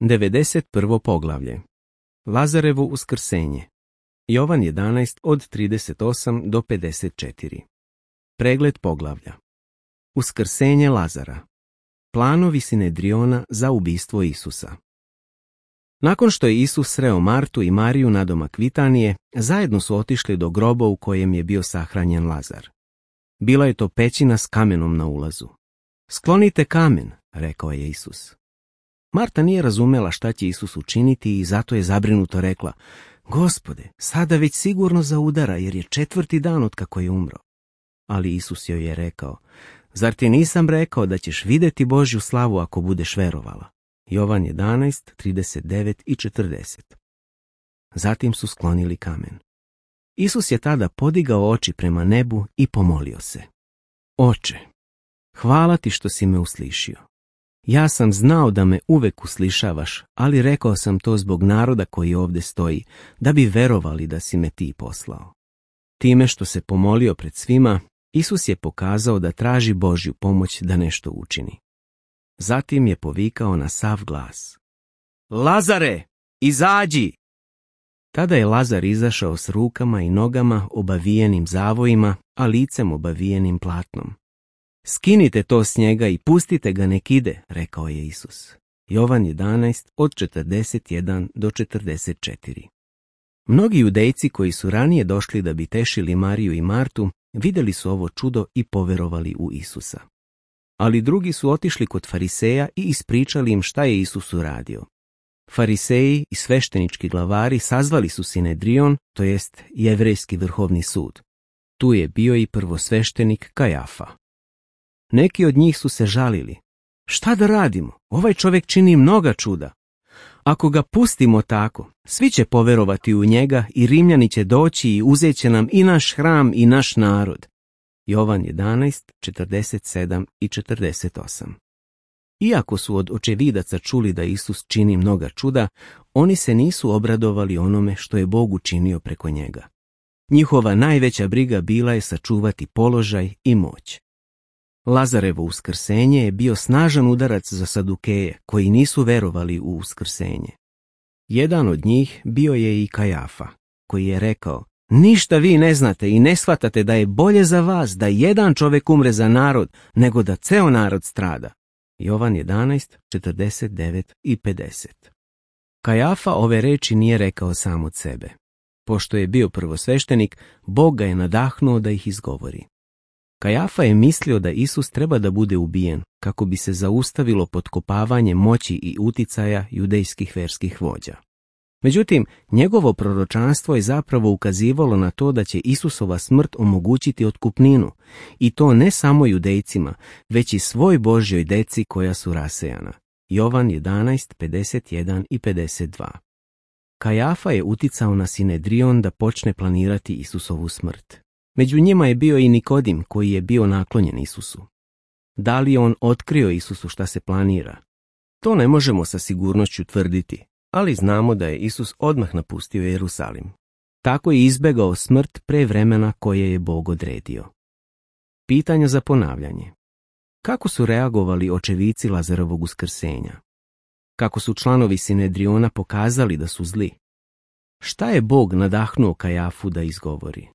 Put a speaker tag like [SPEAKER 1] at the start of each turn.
[SPEAKER 1] 91. poglavlje. Lazarevo uskrsenje. Jovan 11 od 38 do 54. Pregled poglavlja. Uskrsenje Lazara. Planovi Sinedriona za ubistvo Isusa. Nakon što je Isus sreo Martu i Mariju nadomak Vitanije, zajedno su otišli do groba u kojem je bio sahranjen Lazar. Bila je to pećina s kamenom na ulazu. Sklonite kamen, rekao je Isus. Marta nije razumela šta će Isus učiniti i zato je zabrinuto rekla: Gospode, sada već sigurno zaudara jer je 4. dan otkako je umro. Ali Isus joj je rekao: Zar ti nisam rekao da ćeš vidjeti Božju slavu ako budeš verovala? Jovan 11, 39 i 40. Zatim su sklonili kamen. Isus je tada podigao oči prema nebu i pomolio se: Oče, hvala ti što si me uslišio. Ja sam znao da me uvek uslišavaš, ali rekao sam to zbog naroda koji ovdje stoji, da bi verovali da si me ti poslao. Time što se pomolio pred svima, Isus je pokazao da traži Božju pomoć da nešto učini. Zatim je povikao na sav glas: Lazare, izađi! Tada je Lazar izašao s rukama i nogama obavijenim zavojima, a licem obavijenim platnom. Skinite to s njega i pustite ga nek ide, rekao je Isus. Jovan 11 od 41 do 44. Mnogi judejci koji su ranije došli da bi tešili Mariju i Martu, vidjeli su ovo čudo i poverovali u Isusa. Ali drugi su otišli kod fariseja i ispričali im šta je Isus uradio. Fariseji i sveštenički glavari sazvali su Sinedrion, to jest Jevrejski vrhovni sud. Tu je bio i prvosveštenik Kajafa. Neki od njih su se žalili: Šta da radimo? Ovaj čovjek čini mnoga čuda. Ako ga pustimo tako, svi će poverovati u njega i Rimljani će doći i uzet će nam i naš hram i naš narod. Jovan 11, 47 i 48. Iako su od očevidaca čuli da Isus čini mnoga čuda, oni se nisu obradovali onome što je Bog učinio preko njega. Njihova najveća briga bila je sačuvati položaj i moć. Lazarevo uskrsenje je bio snažan udarac za Sadukeje, koji nisu verovali u uskrsenje. Jedan od njih bio je i Kajafa, koji je rekao: Ništa vi ne znate i ne shvatate da je bolje za vas da jedan čovjek umre za narod, nego da ceo narod strada. Jovan 11, 49 i 50. Kajafa ove reči nije rekao sam od sebe. Pošto je bio prvosveštenik, Bog ga je nadahnuo da ih izgovori. Kajafa je mislio da Isus treba da bude ubijen, kako bi se zaustavilo potkopavanje moći i uticaja judejskih verskih vođa. Međutim, njegovo proročanstvo je zapravo ukazivalo na to da će Isusova smrt omogućiti otkupninu, i to ne samo judejcima, već i svoj Božjoj deci koja su rasejana. Jovan 11, 51 i 52. Kajafa je uticao na Sinedrion da počne planirati Isusovu smrt. Među njima je bio i Nikodim, koji je bio naklonjen Isusu. Da li je on otkrio Isusu šta se planira? To ne možemo sa sigurnošću tvrditi, ali znamo da je Isus odmah napustio Jerusalim. Tako je izbegao smrt pre vremena koje je Bog odredio. Pitanja za ponavljanje. Kako su reagovali očevici Lazarovog uskrsenja? Kako su članovi Sinedriona pokazali da su zli? Šta je Bog nadahnuo Kajafu da izgovori?